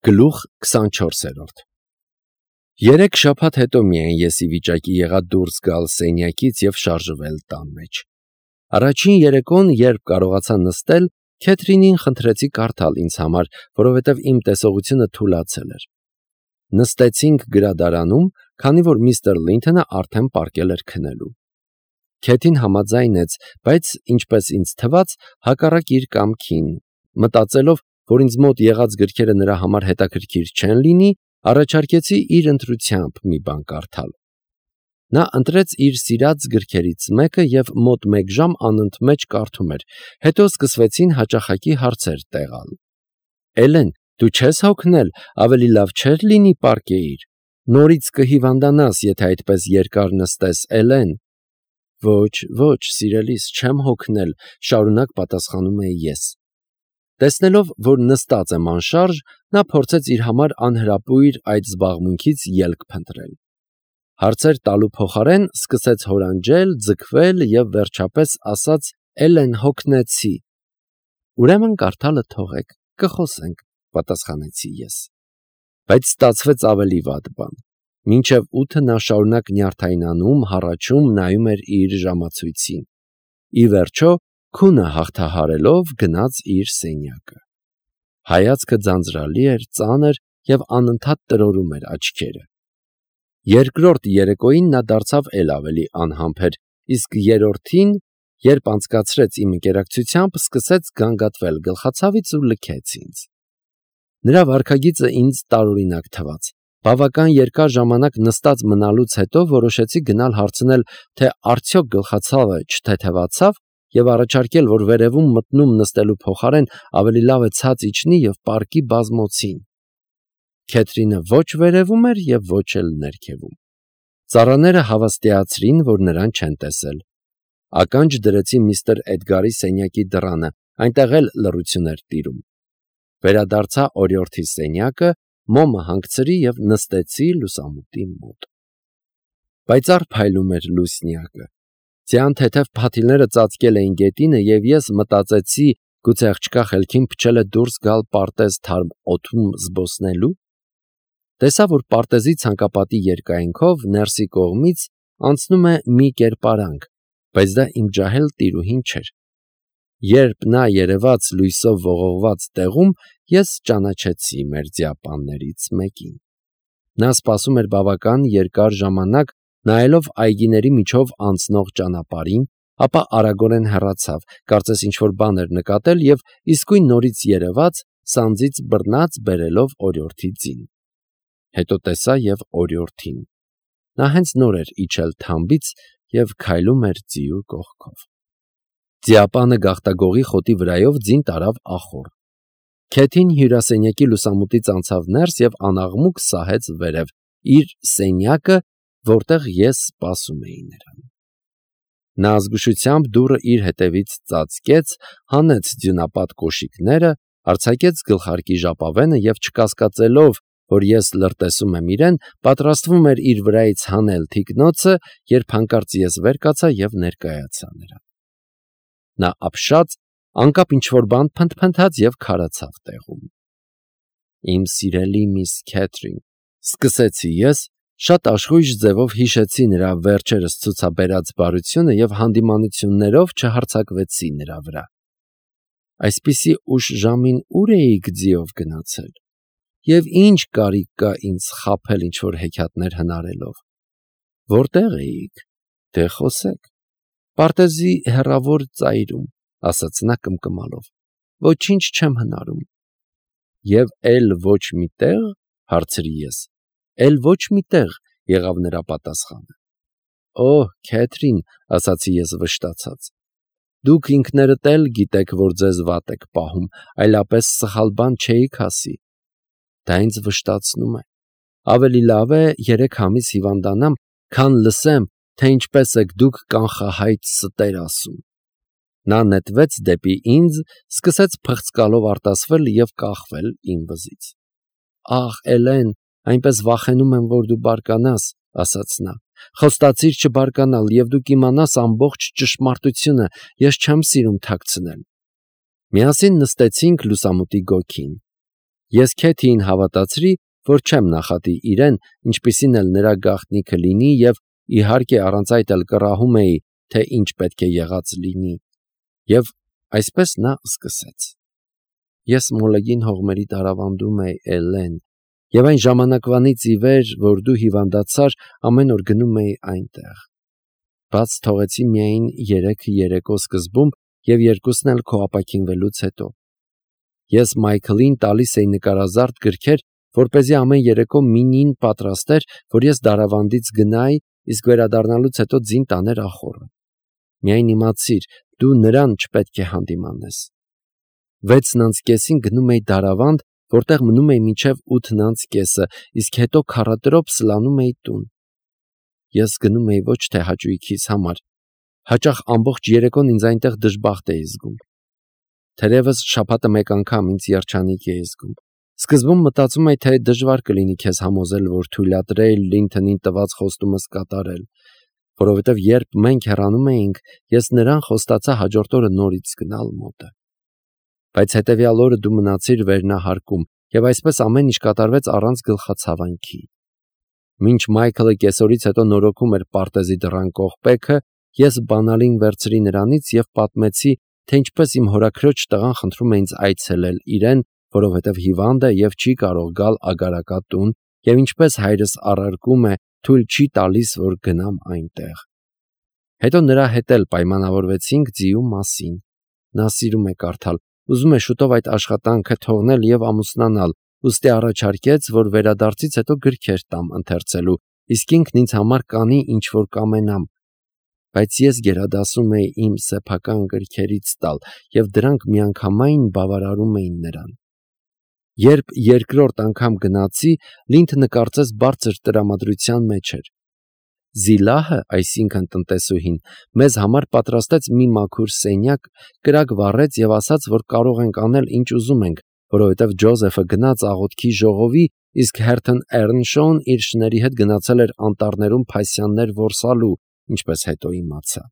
Գլուխ 24 Երեք շաբաթ հետո միայն ես ի վիճակի եղա դուրս գալ սենյակից և շարժվել տան մեջ։ Առաջին երեկոն, երբ կարողացա նստել, Քեթրինին խնդրեցի կարդալ ինձ համար, որովհետև իմ տեսողությունը թուլացել էր։ Նստեցինք գրադարանում, քանի որ միստր Լինթոնը արդեն պառկել էր քնելու։ Քեթին համաձայնեց, բայց, ինչպես ինձ թվաց, հակառակ իր կամքին, մտածելով, որ ինձ մոտ եղած գրքերը նրա համար հետաքրքիր չեն լինի, առաջարկեցի իր ընտրությամբ մի բան կարդալ։ Նա ընտրեց իր սիրած գրքերից մեկը և մոտ 1 ժամ անընդմեջ կարդում էր, հետո սկսվեցին հաճախակի հարցեր տեղալ։ «Էլեն, դու չես հոգնել, ավելի լավ չէր լինի պառկեիր, նորից կհիվանդանաս, եթե այդպես երկար նստես, Էլեն»։ «Ոչ, սիրելիս, չեմ հոգնել», շարունակ պատասխանում էի ես։ Տեսնելով, որ նստած եմ անշարժ, նա փորձեց իր համար անհրապույր այդ զբաղմունքից ելք փնտրել։ Հարցեր տալու փոխարեն սկսեց հորանջել, ձգվել և վերջապես ասաց. «Էլեն, հոգնեցի»։ «Ուրեմն կարդալը թողեք, կխոսենք», պատասխանեցի ես։ Բայց ստացվեց ավելի վատ բան։ Մինչև 8 նա շարունակ նյարդայնանում, հառաչում, նայում էր իր ժամացույցին։ Ի վերջո, քունը հաղթահարելով, գնաց իր սենյակը։ Հայացքը ձանձրալի էր, ծանր և անընդհատ տրորում էր աչքերը։ Երկրորդ երեկոյին նա դարձավ էլ ավելի անհամբեր, իսկ երրորդին, երբ անցկացրեց իմ ընկերակցությամբ, սկսեց գանգատվել գլխացավից ու լքեց ինձ։ Նրա վարքագիծը ինձ տարօրինակ թվաց։ Բավական երկար ժամանակ նստած մնալուց հետո որոշեցի գնալ հարցնել, թե արդյոք գլխացավը չթեթևացավ և առաջարկել, որ վերևում մտնում նստելու փոխարեն ավելի լավ է ցած իջնի և պառկի բազմոցին։ Քեթրինը ոչ վերևում էր և ոչ էլ ներքևում։ Ծառաները հավաստիացրին, որ նրան չեն տեսել։ Ականջ դրեցի միստր Էդգարի սենյակի դռանը, այնտեղ էլ լռություն էր տիրում։ Վերադարձա օրիորդի սենյակը, մոմը հանգցրի և նստեցի լուսամուտի մոտ։ Պայծառ փայլում էր լուսնյակը։ Ձյան թեթև փաթիլները ծածկել էին գետինը, և ես մտածեցի, գուցե աղջկա խելքին փչել է դուրս գալ պարտեզ թարմ օդում զբոսնելու։ Տեսա, որ պարտեզի ցանկապատի երկայնքով ներսի կողմից անցնում է մի կերպարանք, բայց դա իմ ջահել տիրուհին չէր։ Երբ նա երևաց լույսով ողողված տեղում, ես ճանաչեցի մեր ձիապաններից մեկին։ Նա սպասում էր բավական երկար ժամանակ, նայելով այգիների միջով անցնող ճանապարհին, ապա արագորեն հեռացավ, կարծես ինչ-որ բան էր նկատել և իսկույն նորից երևաց, սանձից բռնած բերելով օրիորդի ձին։ Հետո տեսա և օրիորդին։ Նա հենց նոր էր իջել թամբից և քայլում էր ձիու կողքով։ Ձիապանը գաղտագողի խոտի վրայով ձին տարավ ախոռ։ Քեթին հյուրասենյակի լուսամուտից անցավ ներս և անաղմուկ սահեց վերև, իր սենյակը, որտեղ ես սպասում էի նրան։ Նա զգուշությամբ դուռը իր հետևից ծածկեց, հանեց ձյունապատ կոշիկները, արձակեց գլխարկի ժապավենը և չկասկածելով, որ ես լրտեսում եմ իրեն, պատրաստվում էր իր վրայից հանել թիկնոցը, երբ հանկարծ ես վեր կացա և ներկայացա նրան։ Նա ապշած, անկապ ինչ-որ բան փնթփնթաց և քարացավ տեղում։ «Իմ սիրելի միս Քեթրին», սկսեցի ես, շատ աշխույժ ձևով հիշեցի նրա վերջերս ցուցաբերած բարությունը և հանդիմանություններով չհարձակվեցի նրա վրա։ «Այսպիսի ուշ ժամին ո՞ւր էիք ձիով գնացել, և ի՞նչ կարիք կա ինձ խաբել ինչ-որ հեքիաթներ հնարելով»։ «Որտե՞ղ էիք, դե խոսեք»։ «Պարտեզի հեռավոր ծայրում», ասաց նա կմկմալով։ «Ոչինչ չեմ հնարում»։ «Եվ էլ ոչ մի տեղ», հարցրի ես։ «Էլ ոչ մի տեղ», եղավ նրա պատասխանը։ «Օհ, Քեթրին», ասացի ես վշտացած, «դուք ինքներդ էլ գիտեք, որ ձեզ վատ եք պահում, այլապես սխալ բան չէիք ասի»։ «Դա ինձ վշտացնում է։ Ավելի լավ է 3 ամիս հիվանդանամ, քան լսեմ, թե ինչպես եք դուք կանխահայտ ստեր ասում»։ Նա նետվեց դեպի ինձ, սկսեց փղծկալով արտասվել և կախվել իմ վզից։ «Ախ, Էլեն, այնպես վախենում եմ, որ դու բարկանաս», ասաց նա։ «Խոստացիր չբարկանալ, և դու կիմանաս ամբողջ ճշմարտությունը, ես չեմ սիրում թաքցնել»։ Միասին նստեցինք լուսամուտի գոգին։ Ես Քեթիին հավատացրի, որ չեմ նախատի իրեն, ինչպիսին էլ նրա գաղտնիքը լինի, եւ իհարկե առանց այդ էլ կռահում էի, թե ինչ պետք է եղած լինի։ Եվ այսպես նա սկսեց. Ես մոլեգին հողմերի դարավանդում էի, Էլեն, եւ այն ժամանակվանից ի վեր, որ դու հիվանդացար, ամեն օր գնում էի այնտեղ։ Բաց թողեցի միայն 3 երեկո սկզբում եւ 2-ն էլ քո ապաքինվելուց հետո։ Ես Մայքլին տալիս էի նկարազարդ գրքեր, որպեսզի ամեն երեկո մինին պատրաստեր, որ ես դարավանդից գնայի, իսկ վերադառնալուց հետո ձին տաներ ախոռը։ Միայն իմացիր, դու նրան չպետք է հանդիմանես։ 6:30-ին գնում էի դարավանդ, որտեղ մնում էի մինչև 8:30, իսկ հետո քառատրոփ սլանում էի տուն։ Ես գնում էի ոչ թե հաճույքիս համար, հաճախ ամբողջ երեկոն ինձ այնտեղ դժբախտ էի զգում։ Թերևս շաբաթը մեկ անգամ ինձ երջանիկ էի զգում։ Սկզբում մտածում էի, թե դժվար կլինի քեզ համոզել, որ թույլատրեի Լինթոնին տված խոստումս կատարել, որովհետև երբ մենք հեռանում էինք, ես նրան խոստացա հաջորդ օրը նորից գնալ մոտը։ Բայց հետևյալ օրը դու մնացիր վերնահարկում, եւ այսպես ամեն ինչ կատարվեց առանց գլխացավանքի։ Մինչ Մայքլը կեսօրից հետո նորոգում էր պարտեզի դռան կողպեքը, ես բանալին վերցրի նրանից եւ պատմեցի, թե ինչպես իմ հորաքրոջ տղան խնդրում է ինձ այցելել իրեն, որովհետև հիվանդ է եւ չի կարող գալ ագարակատուն, եւ ինչպես հայրս առարկում է, թույլ չի տալիս, որ գնամ այնտեղ։ Հետո նրա հետ էլ պայմանավորվեցինք ձիու մասին։ Նա սիրում է կարդալ, ուզում է շուտով այդ աշխատանքը թողնել եւ ամուսնանալ, ուստի առաջարկեց, որ վերադարձից հետո գրքեր տամ ընթերցելու, իսկ ինքն ինձ համար կանի ինչ որ կամենամ։ Բայց ես գերադասում էի իմ սեփական գրքերից տալ, եւ դրանք միանգամայն բավարարում էին նրան։ Երբ երկրորդ անգամ գնացի, Լինթոնը կարծես բարձր տրամադրության մեջ էր։ Զիլահը, այսինքն տնտեսուհին, մեզ համար պատրաստեց մի մաքուր սենյակ, կրակ վառեց եւ ասաց, որ կարող ենք անել ինչ ուզում ենք, որովհետև Ջոզեֆը գնաց աղոթքի ժողովի, իսկ Հերթն Էռնշոուն իր շների հետ գնացել էր անտառներում փասյաններ որսալու, ինչպես հետո իմացա։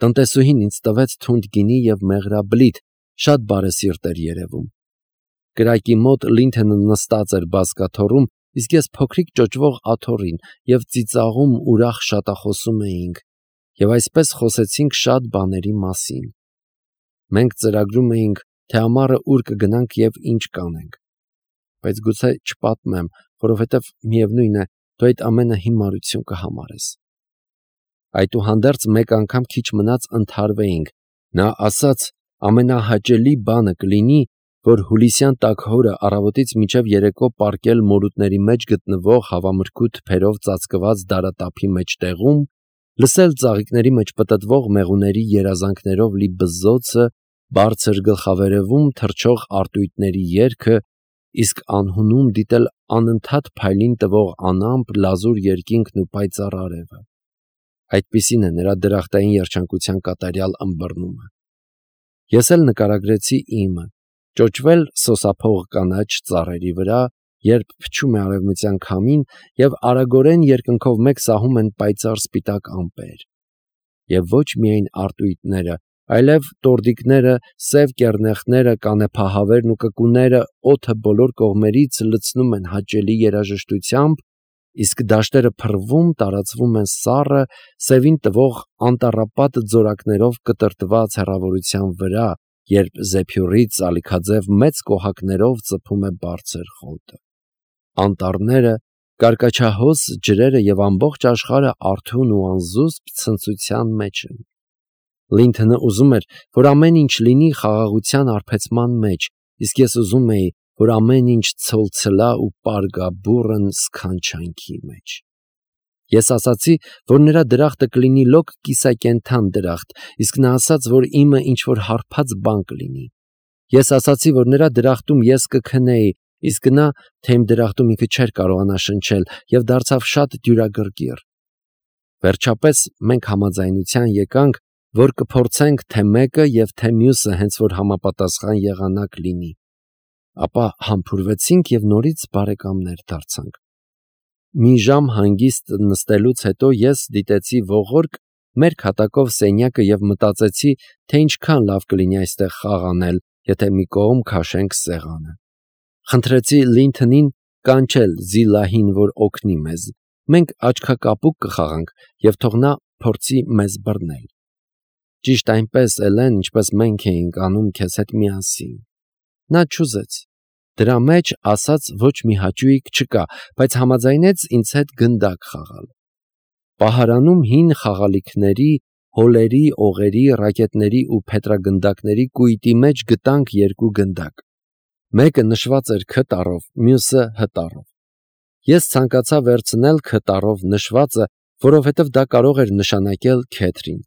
Տնտեսուհին ինձ տվեց թունդ գինի եւ մեղրաբլիթ, շատ բարեսիրտ էր երևում։ Կրակի մոտ Լինթոնը նստած էր բազկաթոռում, իսկ ես փոքրիկ ճոճվող աթոռին եւ ծիծաղում ուրախ շատախոսում էինք, եւ այսպես խոսեցինք շատ բաների մասին։ Մենք ծրագրում էինք, թե ամառը ուր կգնանք եւ ինչ կանենք։ Բայց գուցե չպատմեմ, որովհետեւ միևնույն է, դու այդ ամենը հիմարություն կհամարես։ Այդուհանդերձ մեկ անգամ քիչ մնաց ընդհարվեինք։ Նա ասաց, ամենահաճելի բանը կլինի, որ հուլիսյան տաքհորը առավոտից մինչև երեկո պառկել մորուտների մեջ գտնվող հավամրգու թփերով ծածկված դարատափի մեջտեղում, լսել ծաղիկների մեջ պտտվող մեղուների երազանքներով լի բզզոցը, բարձր գլխավերևում թռչող արտույտների երգը, իսկ անհունում դիտել անընդհատ փայլին տվող անամպ լազուր երկինքն ու պայծառ արևը։ Այդպիսին է նրա դրախտային երջանկության կատարյալ ըմբռնումը։ Ես էլ նկարագրեցի իմը, ճոճվել սոսափող կանաչ ծառերի վրա, երբ փչում է արևմտյան քամին եւ արագորեն երկնքով մեկ սահում են պայծառ սպիտակ ամպեր։ Եվ ոչ միայն արտույտները, այլև տորդիկները, սև կեռնեխները, կանեփահավերն ու կկուները օդը բոլոր կողմերից լցնում են հաճելի երաժշտությամբ, իսկ դաշտերը փռվում, տարածվում են սառը, սևին տվող անտառապատ ձորակներով կտրտված հեռավորության վրա, երբ զեփյուռից ալիքաձև մեծ կոհակներով ծփում է բարձր խոտը։ Անտառները, կարկաչահոս ջրերը եւ ամբողջ աշխարհը արթուն ու անզուսպ ցնծության մեջ են։ Լինթոնը ուզում էր, որ ամեն ինչ լինի խաղաղության արբեցման մեջ, իսկ ես ուզում էի, որ ամեն ինչ ցոլցլա ու պարգաբուրըն սքանչանքի մեջ։ Ես ասացի, որ նրա դրախտը կլինի լոկ կիսակենդան դրախտ, իսկ նա ասաց, որ իմը ինչ-որ հարբած բան կլինի։ Ես ասացի, որ նրա դրախտում ես կքնեի, իսկ նա, թե իմ դրախտում ինքը չէր կարողանա շնչել, եւ դարձավ շատ դյուրագրգիռ։ Վերջապես մենք համաձայնության եկանք, որ կփորձենք թե մեկը եւ թե մյուսը հենց որ համապատասխան եղանակ լինի։ Ապա համբուրվեցինք եւ նորից բարեկամներ դարձանք։ Մի ժամ հանգիստ նստելուց հետո ես դիտեցի ողորկ մեր քատակով սենյակը եւ մտածեցի, թե ինչքան լավ կլինի այստեղ խաղ անել, եթե մի կողմ քաշենք սեղանը։ Խնդրեցի Լինթոնին կանչել Զիլահին, որ օգնի մեզ։ Մենք աչքակապուկ կխաղանք և թող նա փորձի մեզ բռնել։ Ճիշտ այնպես, Էլեն, ինչպես մենք էինք անում քեզ հետ միասին։ Նա չուզեց։ Դրա մեջ ասաց ոչ մի հաճույք չկա, բայց համաձայնեց ինձ հետ գնդակ խաղալ։ Պահարանում հին խաղալիքների, հոլերի, օղերի, ռակետների ու փետրագնդակների կույտի մեջ գտանք երկու գնդակ։ Մեկը նշված էր K տառով, մյուսը H տառով։ Ես ցանկացա վերցնել K տառով նշվածը, որովհետև դա կարող էր նշանակել Քեթրին,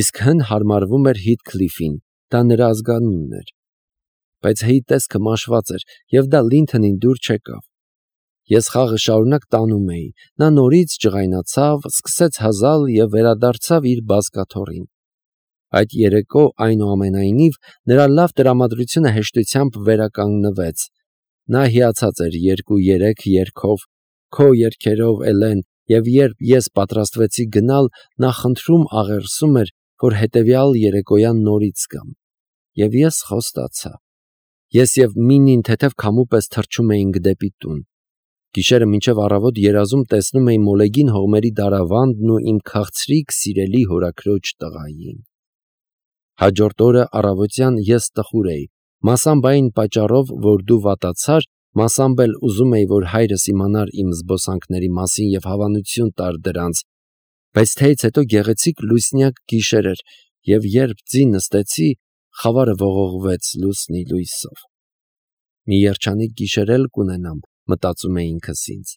իսկ H-ն հարմարվում էր Հիթքլիֆին, դա նրա ազգանունն էր։ Բայց H-ի տեսքը մաշված էր, և դա Լինթոնին դուր չեկավ։ Ես խաղը շարունակ տանում էի, նա նորից ջղայնացավ, սկսեց հազալ և վերադարձավ իր բազկաթոռին։ Այդ երեկո, այնուամենայնիվ, նրա լավ տրամադրությունը հեշտությամբ վերականգնվեց։ Նա հիացած էր 2-3 երգով, քո երգերով, Էլեն, և երբ ես պատրաստվեցի գնալ, նա խնդրում աղերսում էր, որ հետևյալ երեկոյան նորից գամ։ Եվ ես խոստացա։ Ես և Մինին թեթև քամու պես թռչում էինք դեպի տուն։ Գիշերը մինչև առավոտ երազում տեսնում էի մոլեգին հողմերի դարավանդն ու իմ քաղցրիկ սիրելի հորաքրոջ տղային։ Հաջորդ օրը առավոտյան ես տխուր էի, մասամբ այն պատճառով, որ դու վատացար, մասամբ էլ ուզում էի, որ հայրս իմանար իմ զբոսանքների մասին և հավանություն տար դրանց, բայց թեյից հետո գեղեցիկ լուսնյակ գիշեր էր, և երբ ձի նստեցի, խավարը ողողվեց լուսնի լույսով։ Մի երջանիկ գիշեր էլ կունենամ, մտածում էի ինքս ինձ,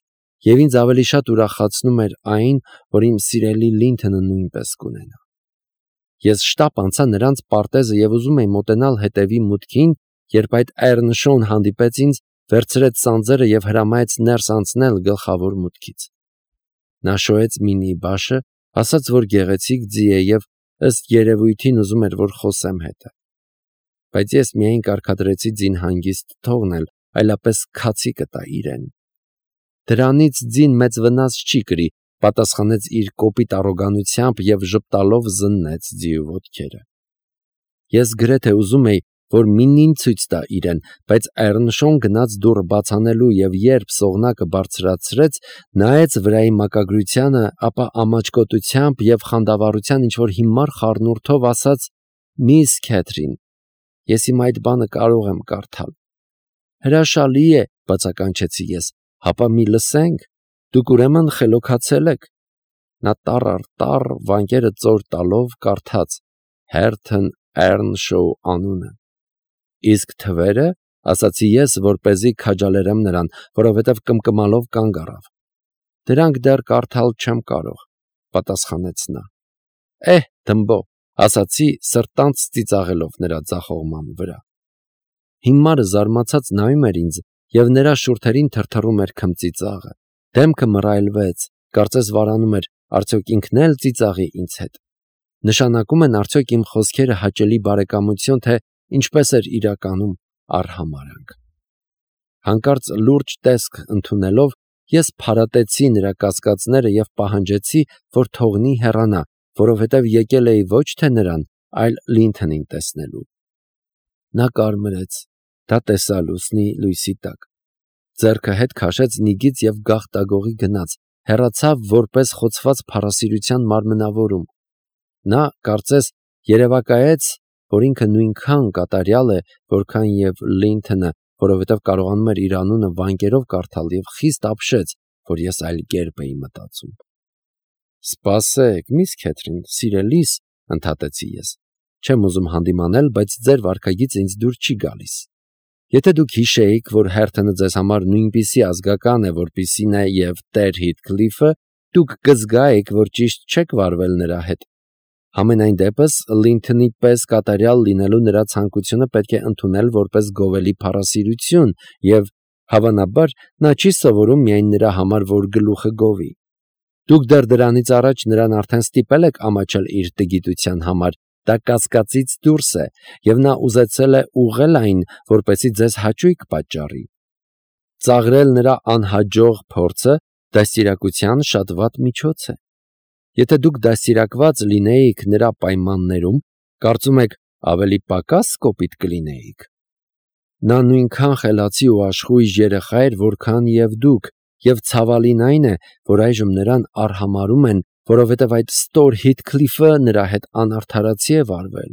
և ինձ ավելի շատ ուրախացնում էր այն, որ իմ սիրելի Լինթոնը նույնպես կունենա։ Ես շտապ անցա նրանց պարտեզը և ուզում էի մոտենալ հետևի մուտքին, երբ այդ Էռնշոուն հանդիպեց ինձ, վերցրեց սանձերը և հրամայեց ներս անցնել գլխավոր մուտքից։ Նա շոյեց Մինիի բաշը, ասաց, որ գեղեցիկ ձի է և ըստ երևույթին ուզում էր, որ խոսեմ հետը։ Բայց ես միայն կարգադրեցի ձին հանգիստ թողնել, այլապես քացի կտա իրեն։ Դրանից ձին մեծ վնաս չի կրի, պատասխանեց իր կոպիտ առոգանությամբ և ժպտալով զննեց ձիու ոտքերը։ Ես գրեթե ուզում էի, որ Մինին ցույց տա իրեն, բայց Էռնշոուն գնաց դուռը բաց անելու և երբ սողնակը բարձրացրեց, նայեց վրայի մակագրությանը, ապա ամաչկոտությամբ և խանդավառության ինչ-որ հիմար խառնուրդով ասաց. «Միս Քեթրին, ես հիմա այդ բանը կարող եմ կարդալ»։ «Հրաշալի է», բացականչեցի ես, «հապա մի լսենք, դուք ուրեմն խելոքացել եք»։ Նա տառ առ տառ, վանկերը ծոր տալով, կարդաց. «Հերթն Էռնշոու անունը»։ «Իսկ թվերը», ասացի ես, որպեսզի քաջալերեմ նրան, որովհետև կմկմալով կանգ առավ։ «Դրանք դեռ կարդալ չեմ կարող», պատասխանեց նա։ Դմբո, ասացի, սրտանց ծիծաղելով նրա ձախողման վրա։ Հիմարը զարմացած նայում էր ինձ, և նրա շուրթերին թրթռում էր քմծիծաղը։ Դեմքը մռայլվեց, կարծես վարանում էր, արդյոք ինքն էլ ծիծաղի ինձ հետ։ Նշանակում են արդյոք իմ խոսքերը հաճելի բարեկամություն, թե ինչպես էր իրականում արհամարհանք։ Հանկարծ լուրջ տեսք ընդունելով, ես փարատեցի նրա կասկածները և պահանջեցի, որ թողնի հեռանա, որովհետև եկել էի ոչ թե նրան, այլ Լինթոնին տեսնելու։ Նա կարմրեց, դա տեսա լուսնի լույսի տակ։ Ձեռքը հետ քաշեց նիգից և գաղտագողի գնաց, հեռացավ որպես խոցված փառասիրության մարմնավորում։ Նա, կարծես, երևակայեց, որ ինքը նույնքան կատարյալ է, որքան և Լինթոնը, որովհետև կարողանում էր իր անունը վանկերով կարդալ և խիստ ապշեց, որ ես այլ կերպ էի մտածում։ «Սպասեք, միս Քեթրին, սիրելիս», ընդհատեցի ես, «չեմ ուզում հանդիմանել, բայց ձեր վարքագիծը ինձ դուր չի գալիս։ Եթե դուք հիշեիք, որ Հերթոնը ձեզ համար նույնպիսի ազգական է, որպիսին է և Տեր Հիթքլիֆը, դուք կզգայիք, որ ճիշտ չեք վարվել նրա հետ։ Համենայն դեպս, Լինթոնի պես կատարյալ լինելու նրա ցանկությունը պետք է ընդունել որպես գովելի փառասիրություն և, հավանաբար, նա չի սովորում միայն նրա համար, որ գլուխը գովի։ Դուք դեռ դրանից առաջ նրան արդեն ստիպել եք ամաչել իր տգիտության համար, դա կասկածից դուրս է, և նա ուզեցել է ուղղել այն, որպեսզի ձեզ հաճույք պատճառի։ Ծաղրել նրա անհաջող փորձը դաստիարակության շատ վատ միջոց է։ Եթե դուք դաստիարակված լինեիք նրա պայմաններում, կարծում եք ավելի պակաս կոպիտ կլինեիք։ Նա նույնքան խելացի ու աշխույժ երեխա էր, որքան և դուք, և ցավալին այն է, որ այժմ նրան արհամարհում են, որովհետև այդ ստոր Հիթքլիֆը նրա հետ անարդարացի է վարվել։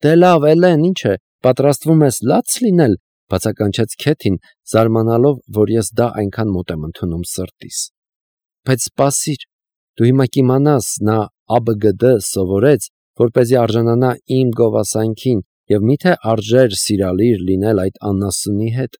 Դե լավ, Էլեն, ինչ է, պատրաստվում ես լաց լինել, բացականչեց Քեթին, զարմանալով, որ ես դա այնքան մոտ եմ ընդունում սրտիս։ Բայց սպասիր, դու հիմա կիմանաս, նա ԱԲԳԴ սովորեց, որպեսզի արժանանա իմ գովասանքին, և միթե արժեր սիրալիր լինել այդ անասունի հետ։